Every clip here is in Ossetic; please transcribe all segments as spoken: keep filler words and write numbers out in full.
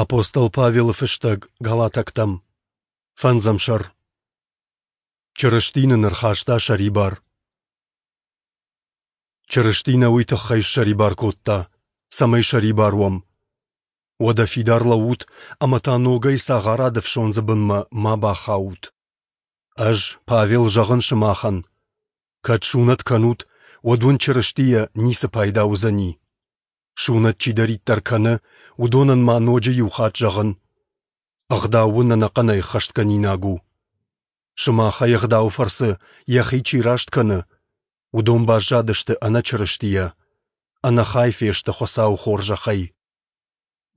Апостол Павелы фыстӕг Галатӕгтӕм, фӕндзӕм сӕр. Чырысти нын ӕрхаста сӕрибар. Чырысти нӕ уый тыххӕй ссӕрибар кодта, цӕмӕй сӕрибар уӕм. Уӕдӕ фидар лӕуут ӕмӕ та ногӕй цагъарады ӕфсондзы бынмӕ ма бахаут. Ӕз, Павел, зӕгъын сымахӕн: кӕд сунӕт кӕнут, уӕд уын Чырыстийӕ ницы пайда уыдзӕни. Сунӕт чидӕриддӕр кӕны, уыдонӕн ма ноджы иу хатт зӕгъын: Ӕгъдау уын ӕнӕхъӕнӕй ӕххӕстгӕнинаг у. Сымахӕй Ӕгъдауы фӕрцы йӕхи чи раст кӕны, уыдон баззадысты ӕнӕ Чырыстийӕ, ӕнӕхай фесты Хуыцауы хорзӕхӕй.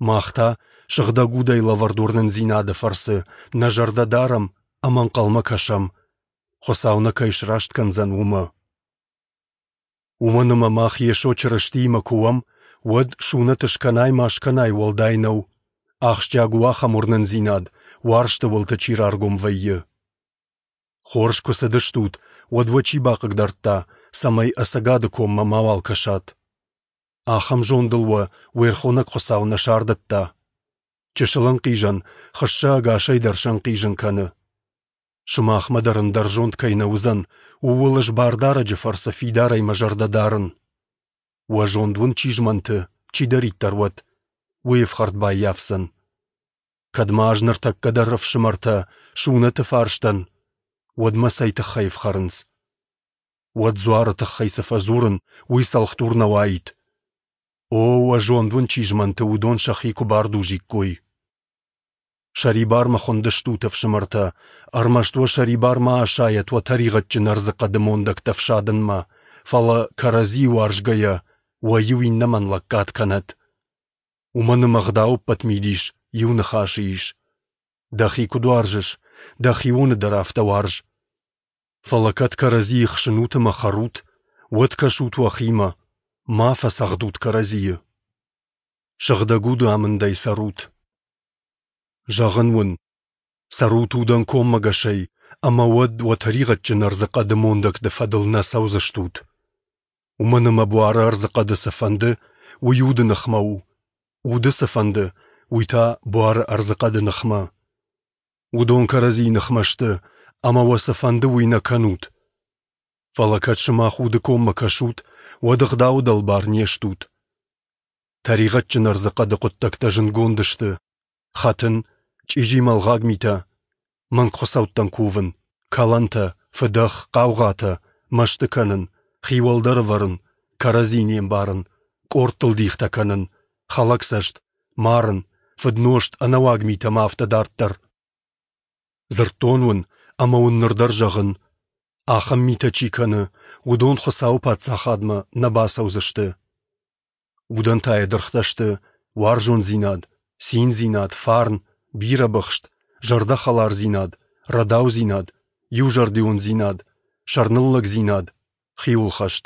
Мах та, Сыгъдӕг Удӕй лӕвӕрд уырнындзинады фӕрцы, нӕ зӕрдӕ дарӕм ӕмӕ ӕнхъӕлмӕ кӕсӕм, Хуыцау нӕ кӕй сраст кӕндзӕн, уымӕ. Уымӕн ӕмӕ мах Йесо Чырыстиимӕ куы уӕм, уӕд сунӕт скӕнай ма скӕнай уӕлдай нӕу, ахсджиаг у ахӕм уырнындзинад, уарзты уылты чи раргом вӕййы. Хорз куы цыдыстут, уӕд уӕ чи бахъыгдардта, цӕмӕй ӕцӕгады коммӕ мауал кӕсат? Ахӕм зондыл уӕ уе рхонӕг Хуыцау нӕ сардыдта. Чысыл ӕнхъизӕн хыссӕ ӕгасӕй дӕр сӕнхъизын кӕны. Сымахмӕ дӕр ӕндӕр зонд кӕй нӕ уыдзӕн, ууыл ӕз Бардарӕджы фӕрцы фидарӕй мӕ зӕрдӕ дарын. Уӕ зонд уын чи змӕнты, чидӕриддӕр уӕд, уый ӕфхӕрд баййафдзӕн. Кӕд ма ӕз ныртӕккӕ дӕр ӕфсымӕртӕ сунӕты фарстӕн, уӕд мӕ цӕй тыххӕй ӕфхӕрынц? Уӕд дзуары тыххӕй цы фӕдзурын, уый цӕлхдур нӕ уаид. О, уӕ зонд уын чи змӕнты, уыдон сӕхи куы бардузиккой. Сӕрибармӕ хуындыстут, ӕфсымӕртӕ, ӕрмӕст уӕ сӕрибар ма асайӕт уӕ тӕригъӕдджын ӕрдзыхъӕды мондӕгтӕ ӕфсадынмӕ, фӕлӕ, кӕрӕдзийы уарзгӕйӕ, уӕ иу иннӕмӕн лӕггад кӕнӕд. Уымӕн ӕмӕ ӕгъдауы ӕппӕт мидис иу ныхасы ис: дӕхи куыд уарзыс, дӕхионы дӕр афтӕ уарз. Фӕлӕ кӕд кӕрӕдзийы хсынут ӕмӕ хӕрут, уӕд кӕсут уӕхимӕ, ма фӕцӕгъдут кӕрӕдзийы. Сыгъдӕг уды амындӕй цӕрут. Зӕгъын уын, цӕрут удӕн коммӕгӕсӕй, ӕмӕ уӕд уӕ тӕригъӕдджын ӕрдзыхъӕды мондӕгты фӕдыл нӕ цӕудзыстут. Уымӕн ӕмӕ буары ӕрдзыхъӕды цы фӕнды, уый уды ныхмӕ у, уды цы фӕнды, уый та буары ӕрдзыхъӕды ныхмӕ. Уыдон кӕрӕдзийы ныхмӕ сты, ӕмӕ уӕ цы фӕнды, уый нӕ кӕнут. Фӕлӕ кӕд сымах уды коммӕ кӕсут, уӕд ӕгъдауы дӕлбар не стут. Тӕригъӕдджын ӕрдзыхъӕды хъуыддӕгтӕ зындгонд сты: хӕтын, чъизи мӕлгъаг митӕ, мӕнгхуыцӕуттӕн кувын, кӕлӕнтӕ, фыдӕх, хъаугъатӕ, мӕсты кӕнын, хи уӕлдӕр ӕвӕрын, кӕрӕдзи не мбарын, къордтыл дихтӕ кӕнын, хӕлӕгцӕст, марын, фыднозт, ӕнӕуаг митӕ ӕмӕ афтӕ дарддӕр. Дзырдтон уын ӕмӕ уын ныр дӕр зӕгъын: ахӕм митӕ чи кӕны, уыдон Хуыцауы паддзахадмӕ нӕ бацӕудзысты. Удӕн та йӕ дыргътӕ сты уарзондзинад, циндзинад, фарн, бирӕбыхст, зӕрдӕхӕлардзинад, рӕдаудзинад, иузӕрдиондзинад, сӕрныллӕгдзинад, хиуылхӕст.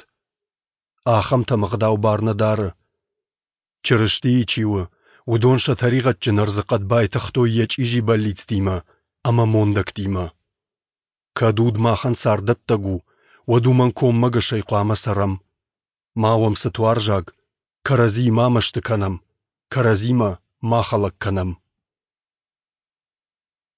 Ахӕмтӕм ӕгъдау бар нӕ дары. Чырыстийы чи у, уыдон сӕ тӕригъӕдджын ӕрдзыхъӕд байтыгътой йӕ чъизи бӕллицтимӕ ӕмӕ мондӕгтимӕ. Кӕд уд махӕн царддӕттӕг у, уӕд уымӕн коммӕгӕсӕй хъуамӕ цӕрӕм. Ма уӕм цытуарзаг, кӕрӕдзийы ма мӕсты кӕнӕм, кӕрӕдзимӕ ма хӕлӕг кӕнӕм.